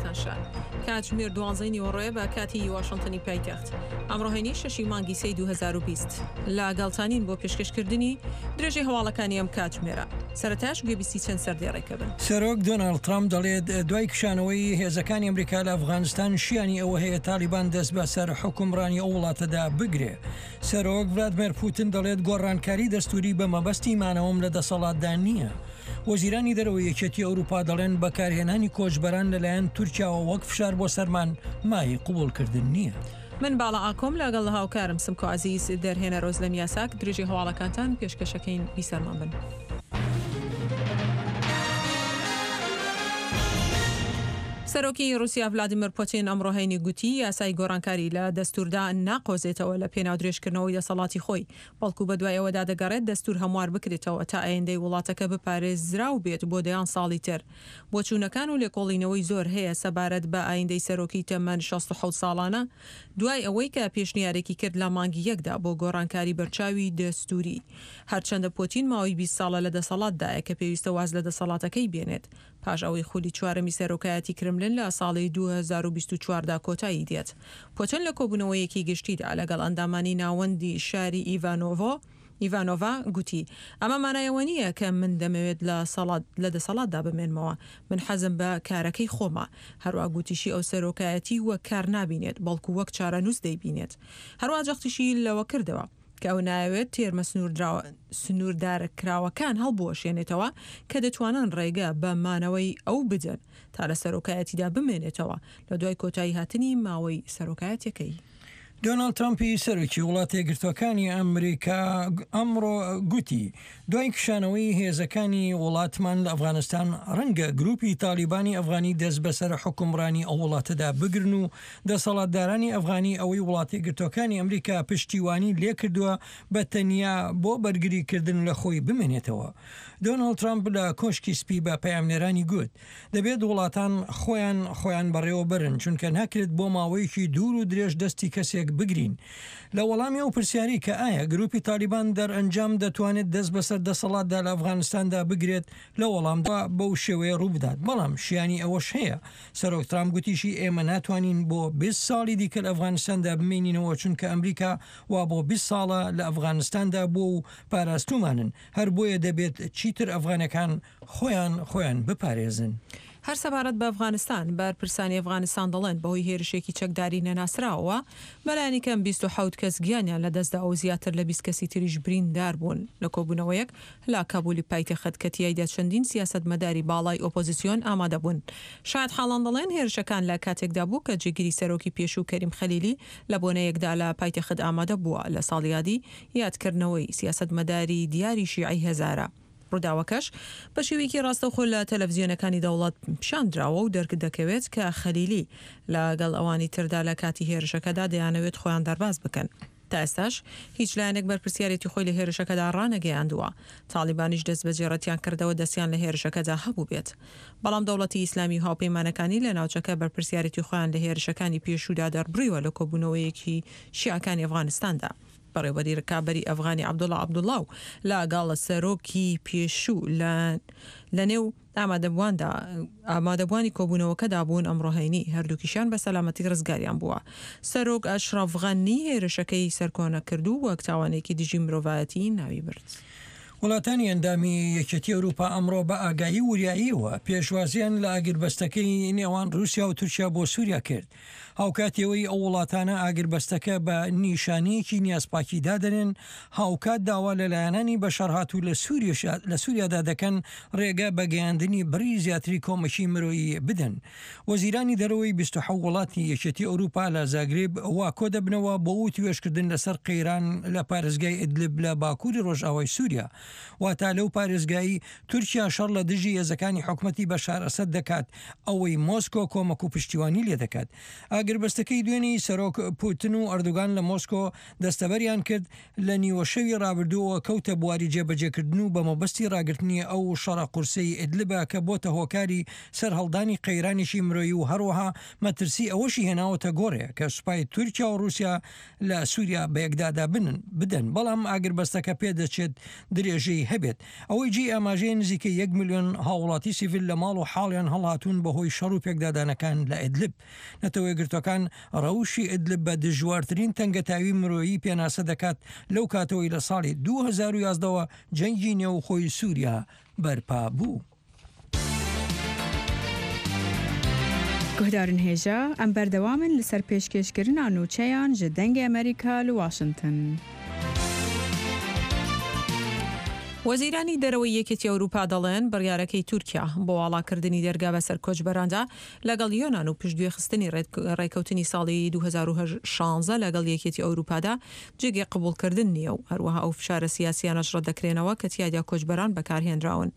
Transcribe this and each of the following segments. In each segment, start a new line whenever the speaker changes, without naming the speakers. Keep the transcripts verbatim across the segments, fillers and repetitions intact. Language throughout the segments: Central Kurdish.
دەستان شاد. کاتژمێر دوانزەی نیوەڕۆیە بە کاتی واشنتنی پایتەخت. ئەمڕۆ هەینی شەشی مانگی سێی دوو هەزار و بیست. لەگەڵتانین بۆ پێشکەشکردنی درێژەی هەواڵەکانی ئەم کاتژمێرە. سەرەتاش گوێبیستی چەند سەردێڕێکە بن.
سەرۆک دۆناڵد ترامپ دەڵێت دوای کشانەوەی هێزەکانی ئەمریکا لە ئەفغانستان شیانی ئەوە هەیە تالیبان دەست بەسەر حوکمڕانی ئەو وڵاتەدا بگرێ. سەرۆک ڤلادمێر پوتن دەڵێت گۆڕانکاری دەستوری بە مەبەستی مانەوەم لە دەسەڵاتدا نییە. وەزیرانی دەرەوەی یەکێتی ئەوروپا دەڵێن بەکارهێنانی کۆچبەران لەلایەن تورکیاوە وەک فشار بۆ سەرمان مایەی قبوڵکردن نییە.
من باڵا ئاکۆم لەگەڵ هاوکارم سمکۆ عەزیز دەرهێنەر ئۆزلەم یاساک درێژەی هەواڵەکانتان پێشکەشەکەین بیسەرمان بن. سەرۆکی ڕوسیا ڤلادیمیر پوتین ئەمڕۆ هەینی گوتی یاسای گۆڕانکاری لە دەستوردا ناقۆزێتەوە لە پێناو درێژکردنەوەی دەسەڵاتی خۆی، بەڵکو بەدوای ئەوەدا دەگەڕێت دەستور هەموار بکرێتەوە تا ئایندەی وڵاتەکە بپارێزراو بێت بۆ دەیان ساڵی تر. بۆچوونەکان و لێکۆڵینەوەی زۆر هەیە سەبارەت بە ئایندەی سەرۆکی تەمەن شەست و حەوت ساڵانە دوای ئەوەی کە پێشنیارێکی کرد لە مانگی یەکدا بۆ گۆڕانکاری بەرچاوی دەستوری. هەرچەندە پوتین ماوەی بیست ساڵە لە دەسەڵاتدایە کە پێویستە واز لە دەسەڵاتەکەی بێنێت پاش ئەوەی خولی چوارەمی سەرۆکایەتی کرملن لە ساڵی دوو هەزار و بیست و چوار دا کۆتایی دێت. پوتن لە کۆبوونەوەیەکی گشتیدا لەگەڵ ئەندامانی ناوەندی شاری ئیڤانۆڤۆ ئیڤانۆڤا گوتی، ئەمە مانای ئەوە نییە کە من دەمەوێت لە لە دەسەڵاتدا بمێنمەوە، من حەزم بە کارەکەی خۆمە. هەروا گوتیشی ئەو سەرۆکایەتی وەک کار نابینێت، بەڵکو وەک چارەنووس دەیبینێت. هەروا جەختیشی لەوە کردەوە کە ئەو نایەوێت تێرمە سنووردارکراوەکان هەڵبوەشێنێتەوە کە دەتوانن ڕێگە بە مانەوەی ئەو بدەن تا لە سەرۆکایەتیدا بمێنێتەوە لە دوای کۆتایی هاتنی ماوەی سەرۆکایەتیەکەی.
دۆناڵد ترەمپی سەرۆکی وڵاتە یەکگرتووەکانی ئەمریکا ئەمڕۆ گوتی، دوای کشانەوەی هێزەکانی وڵاتمان لە ئەفغانستان، ڕەنگە گروپی تالیبانی ئەفغانی دەست بەسەر حوکمڕانی ئەو وڵاتەدا بگرن و دەسەڵاتدارانی ئەفغانی ئەوەی وڵاتە یەکگرتووەکانی ئەمریکا پشتیوانی لێکردووە بە تەنیا بۆ بەرگریکردن لە خۆی بمێنێتەوە. دۆناڵد ترەمپ لە کۆشکی سپی بە پەیامنێرانی گوت، دەبێت وڵاتان خۆیان خۆیان بەڕێوەبەرن، چونکە ناکرێت بۆ ماوەیەکی دوور و درێژ دەستی کەسێک بگرین. لە وەڵامی ئەو پرسیاری کە ئایا گروپی تالیبان دەرئەنجام دەتوانێت دەست بەسەر دەسەڵاتدا لە ئەفغانستاندا بگرێت، لە وەڵامدا بەو شێوەیە ڕووبدات، بەڵام شیانی ئەوەش هەیە. سەرۆک ترامپ گوتیشی ئێمە ناتوانین بۆ بیست ساڵی دیکە لە ئەفغانستاندا بمێنینەوە، چونکە ئەمریکا وا بۆ بیست ساڵە لە ئەفغانستاندا بووە و پاراستومانن، هەر بۆیە دەبێت چیتر ئەفغانەکان خۆیان خۆیان بپارێزن.
هەر سەبارەت بە ئەفغانستان، بەرپرسانی ئەفغانستان دەڵێن بەهۆی هێرشێکی چەکداری نەناسراوەوە بەلایەنی کەم بیست و حەوت کەس گیانیان لەدەستدا و زیاتر لە بیست کەسی تریش بریندار بوون لە کۆبوونەوەیەک لە کابولی پایتەخت کە تیایدا چەندین سیاسەتمەداری باڵای ئۆپۆزیسیۆن ئامادە بوون. شایەتحاڵان دەڵێن هێرشەکان لە کاتێکدا بوو کە جێگری سەرۆکی پێشوو کەریم خەلیلی لە بۆنەیەکدا لە پایتەخت ئامادە بووە لە ساڵیادی یادکردنەوەی سیاسەتمەداری دیاری شیعەی هەزارە. ڕووداوەکەش بە شێوەیەکی ڕاستەوخۆ لە تەلەڤزیۆنەکانی دەوڵەت پیشاندراوە و دەرک دەکەوێت کە خەلیلی لەگەڵ ئەوانی تردا لە کاتی هێرشەکەدا دەیانەوێت خۆیان دەرباز بکەن. تا ئێستاش هیچ لایەنێک بەرپرسیارێتی خۆی لە هێرشەکەدا ڕانەگەیاندووە. تاڵیبانیش دەستبەجێ ڕەتیان کردەوە دەستیان لە هێرشەکەدا هەبووبێت. بەڵام دەوڵەتی ئیسلامی و هاوپەیمانەکانی لە ناوچەکە بەرپرسیارێتی خۆیان لە هێرشەکانی پێشوودا دەربڕیوە لە کۆبوونەوەیەکی شیعەکانی ئەفغانستاندا. بەڕێوەبەری ڕکابەری ئەفغانی عەبدوڵا عەبدوڵا و لەگەڵ سەرۆکی پێشوو لە لەنێو ئامادەبوواندا ئامادەبووانی کۆبوونەوەکەدا بوون ئەمڕۆ هەینی هەردووکیشیان بە سەلامەتی ڕزگاریان بووە. سەرۆک ئەشرەف غەنی هێرشەکەی سەرکۆنە کرد و وەک تاوانێکی دژی مرۆڤایەتی ناوی برد.
وڵاتانی ئەندامی یەکێتی ئەوروپا ئەمڕۆ بە ئاگایی و وریاییەوە پێشوازیان لە ئاگربەستەکەی نێوان رووسیا و تورکیا بۆ سووریا کرد، هاوکات ئەوەی ئەو وڵاتانە ئاگربەستەکە بە نیشانەیەکی نیازپاکی دادەنێن، هاوکات داوا لە لایەنانی بەشەڕهاتوو لە سووریادا دەکەن رێگە بە گەیاندنی بڕی زیاتری کۆمەکی مرۆیی بدەن. وەزیرانی دەرەوەی بیست و حەوت وڵاتی یەکێتی ئەوروپا لە زاگرێب وا کۆدەبنەوە بۆ وتوێژکردن لەسەر قەیران لە پارێزگای ئیدلب لە باکووری ڕۆژئاوای سووریا، واتا لەو پارێزگای تورکیا شەڕ لە دژی هێزەکانی حکومەتی بەشار ئەسەد دەکات، ئەوەی مۆسکۆ کۆمەک و پشتیوانی لێدەکات. ئاگربەستەکەی دوێنێی سەرۆک پوتن و ئەردۆگان لە مۆسکۆ دەستەبەریان کرد، لە نیوەشەوی ڕابردووەوە کەوتە بواری جێبەجێکردن و بە مەبەستی ڕاگرتنی ئەو شەڕە قورسەی ئیدلبە کە بۆتە هۆکاری سەرهەڵدانی قەیرانێکی مرۆیی و هەروەها مەترسی ئەوەشی هێناوەتە گۆڕێ کە سوپای تورکیا و ڕووسیا لە سووریا بەیەکدادا بدەن، بەڵام ئاگربەستەکە پێدەچێت درێژ درێژەی هەبێت. ئەوەی جێی ئاماژەیە نزیکەی یەک ملیۆن هاوڵاتی سیڤیل لە ماڵ و حاڵیان هەڵهاتوون بەهۆی شەڕ و پێکدادانەکان لە ئیدلب. نەتەوەیەکگرتووەکان ڕەوشی ئیدلب بە دژوارترین تەنگەتاوی مرۆیی پێناسە دەکات لەو کاتەوەی لە ساڵی دوو هەزار و یازدە وە جەنگی نێوخۆی سووریا بەرپا بوو.
Guhdarên hêja, em berdewam in li ser pêşkêşkirina nûçeyan ji Dengê Amerîka li Washington.
وەزیرانی دەرەوەی یەکێتی ئەوروپا دەڵێن بڕیارەکەی تورکیا بۆ واڵاکردنی دەرگا بەسەر کۆچبەراندا لەگەڵ یۆناان و پشتگوێخستنی ڕێککەوتنی ساڵی دوو هەزار و شانزە لەگەڵ یەکێتی ئەوروپادا جێگەی قبوڵکردن نییە و هەروەها ئەو فشارە سیاسیانەش ڕەتدەکرێنەوە کە تیایدا کۆچبەران بەکارهێنراون.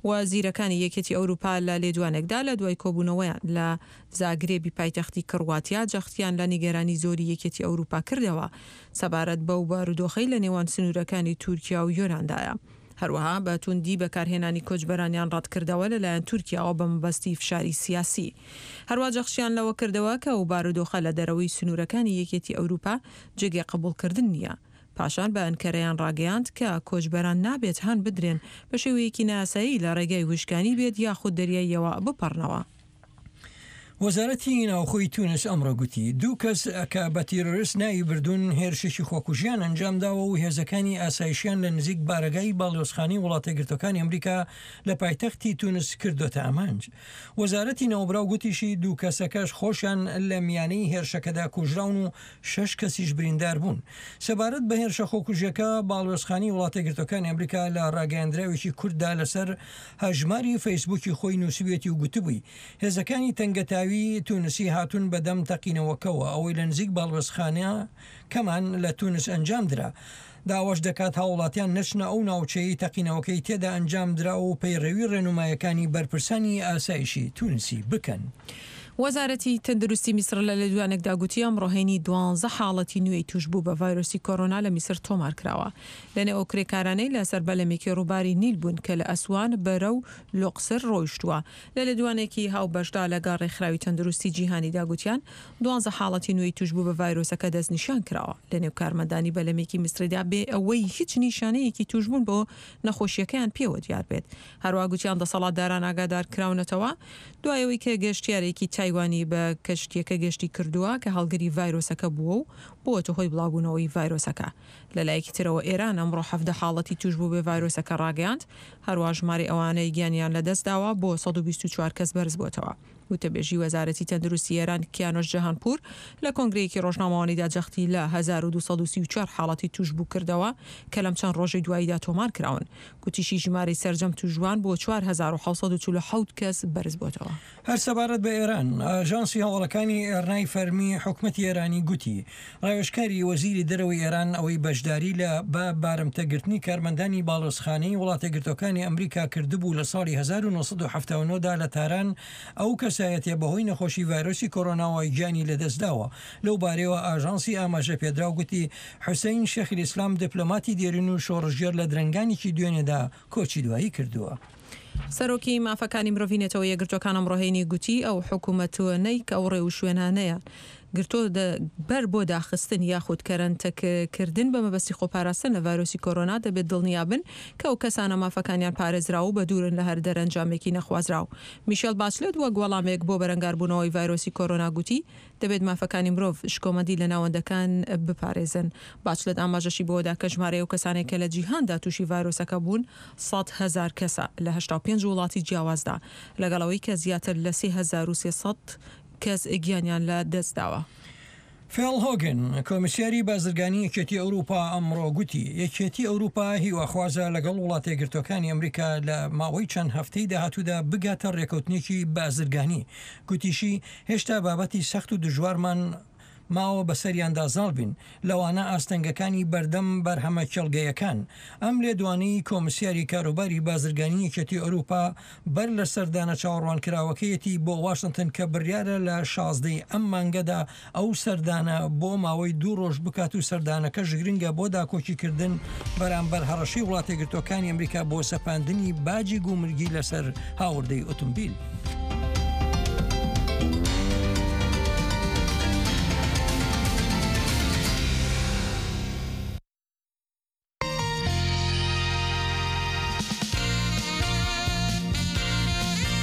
وەزیرەکانی یەکێتی ئەوروپا لە لێدوانێکدا لە دوای کۆبوونەوەیان لە زاگرێبی پایتەختی کڕواتیا جەختیان لە نیگەرانی زۆری یەکێتی ئەوروپا کردەوە سەبارەت بەو بارودۆخەی لە نێوان سنوورەکانی تورکیا و یۆناندایە. هەروەها بە توندی بەکارهێنانی کۆچبەرانیان ڕەتکردەوە لەلایەن تورکیاوە بە مەبەستی فشاری سیاسی. هەروە جەخشیان لەوە کردەوە کە ئەو بارودۆخە لە دەرەوەی سنوورەکانی یەکێتی ئەوروپا جێگەی قبوڵکردن نییە. پاشان بە ئەنکەرەیان ڕاگەیاند کە کۆچبەران نابێت هان بدرێن بە شێوەیەکی ناسایی لە ڕێگای وشکانی بێت یاخود دەریاییەوە بپەڕنەوە.
وەزارەتی ناوخۆی تونس ئەمڕۆ گوتی دوو کەس کە بە تیرۆریست ناوی بردوون هێرشێکی خۆکوژیان ئەنجامداوە و هێزەکانی ئاسایشیان لە نزیک بارەگای باڵیۆزخانەی وڵاتەیەکگرتووەکانی ئەمریکا لە پایتەختی تونس کردۆتە ئامانج. وەزارەتی ناوبراو گوتیشی دوو کەسەکەش خۆشیان لە میانەی هێرشەکەدا کوژراون و شەش کەسیش بریندار بوون. سەبارەت بە هێرشە خۆکوژیەکە باڵیۆزخانەی وڵاتەیەکگرتووەکانی ئەمریکا لە ڕاگەیاندراوێکی کورددا لەسەر هەژماری فەیسبووکی خۆی نووسیوێتی و گوتبووی هێزەکانی تەنگەتاوی تونسی هاتوون بەدەم تەقینەوەکەوە ئەوەی لە نزیک باڵوێزخانە کەمان لە تونس ئەنجام درا. داواش دەکات هاوڵاتیان نەچنە ئەو ناوچەی تەقینەوەکەی تێدا ئەنجام درا و پەیڕەوی ڕێنمایەکانی بەرپرسانی ئاسایشی تونسی بکەن.
وەزارەتی تەندروستی میسر لە لێدوانێکدا گوتی ئەمڕۆ هەینی دوانزە حاڵەتی نوێی توشبوو بە ڤایرۆسی کۆرۆنا لە میسر تۆمار کراوە. لەنێو ئەو کرێکارانەی لەسەر بەلەمێکی ڕووباری نیل بوون کە لە ئەسوان بەرەو لوقسر ڕۆیشتووە. لە لێدوانێکی هاوبەشدا لەگەڵ ڕێکخراوی تەندروستی جیهانیدا گوتیان دوانزە حاڵەتی نوێی توشبوو بە ڤایرۆسەکە دەستنیشان کراوە. لەنێو کارمەندانی بەلەمێکی میسریدا بێ ئەوەی هیچ نیشانەیەکی توشبوون بۆ نەخۆشیەکەیان پێوە دیار بێت. هەروە گوتیان دەسەڵاتداران ئاگادار کراونەتەوە دوای ئەوەی کە گەشتیارێکی تایوانی بە کەشتیەکە گەشتی کردووە کە هەڵگری ڤایرۆسەکە بووە و بووەتە هۆی بڵاوبوونەوەی ڤایرۆسەکە. لە لایەکی ترەوە ئێران ئەمڕۆ حەفدە حاڵەتی توشبوو بە ڤایرۆسەکە ڕاگەیاند، هەروە ژمارەی ئەوانەی گیانیان لەدەستداوە بۆ سەد و بیست و چوار کەس بەرز بووەتەوە. وتەبێژی وەزارەتی تەندروستی ئێران کیانۆش جەهانپوور لە کۆنگرەیەکی ڕۆژنامەوانیدا جەختی لە هەزار و دوو سەد و سی و چوار حاڵەتی توشبوو کردەوە کە لەم چەند ڕۆژەی دواییدا تۆمار کراون. گوتیشی ژمارەی سەرجەم توشبووان بۆ چوار هەزار و حەوت سەد و چل و حەوت کەس بەرز بووەتەوە.
هەر سەبارەت بە ئێران، ئاژانسی هەواڵەکانی ئێرنای فەرمی حکومەتی ئێرانی گوتی ڕاوێژکاری وەزیری دەرەوەی ئێران ئەوەی بەشداری لە بە بارمتەگرتنی کارمەندانی باڵیۆزخانەی وڵاتەیەکگرتووەکانی ئەمریکا کردبوو لە ساڵی هەزار و نۆ سەد و حەفتا و نۆ دا لە تاران، ئەو کەسایەتیە بەهۆی نەخۆشی ڤایرۆسی کۆرۆناوە گیانی لەدەستداوە. لەو بارەیەوە ئاژانسی ئاماژە پێدراو گوتی حوسەین شێخ ئیسلام دیپلۆماتی دێرین و شۆڕشگێڕ لە درەنگانێکی دوێنێدا کۆچی دوایی کردووە.
سەرۆکی مافەکانی مرۆڤی نەتەوە یەکگرتووەکان ئەمڕۆ هەینی گوتی ئەو حکوومەتوەنەی کە ئەو ڕێوشوێنانەیان گرتۆ بەر بۆ داخستن یاخود کەرەنتەکردن بە مەبەستی خۆپاراستن لە ڤایرۆسی کۆرۆنا دەبێت دڵنیابن کە ئەو کەسانە مافەکانیان پارێزراو و بە دوورن لە هەر دەرەنجامێکی نەخوازراو. میشێل باچلێت وەک وەڵامێک بۆ بەرەنگاربوونەوەی ڤایرۆسی کۆرۆنا گوتی دەبێت مافەکانی مرۆڤ شکۆمەندی لە ناوەندەکان بپارێزن. باچلێت ئاماژەشی بۆدا کە ژمارەی ئەو کەسانێک کە لە جیهاندا تووشی ڤایرۆسەکە بوون سەد هەزار کەسە لە هەشتا و پێنج وڵاتی جیاوازدا، لەگەڵ ئەوەی کە زیاتر لە سێ هەزار و سێ سەد کەس گیانیان لە دەستداوە.
فێڵ هۆگن، کۆمیسیاری بازرگانی یەکێتی ئەوروپا ئەمڕۆ گوتی یەکێتی ئەوروپا هیواخوازە لەگەڵ وڵاتەیەکگرتووەکانی ئەمریکا لە ماوەی چەند هەفتەی داهاتوودا بگاتە ڕێکەوتنێکی بازرگانی. گوتیشی هێشتا بابەتی سەخت و دژوارمان ماوە بەسەریاندا زاڵ بین، لەوانە ئاستەنگەکانی بەردەم بەرهەمە کێڵگەیەکان. ئەم لێدوانەی کۆمیسیاری کاروباری بازرگانی یەکێتی ئەوروپا بەر لە سەردانە چاوەڕوانکراوەکەیەتی بۆ واشنگتن کە بڕیارە لە شازدەی ئەم مانگەدا ئەو سەردانە بۆ ماوەی دوو ڕۆژ بکات و سەردانەکەش گرنگە بۆ داکۆکیکردن بەرامبەر هەڕەشەی وڵاتەیەکگرتووەکانی ئەمریکا بۆ سەپاندنی باجی گومرگی لەسەر هاوردەی ئۆتۆمبیل.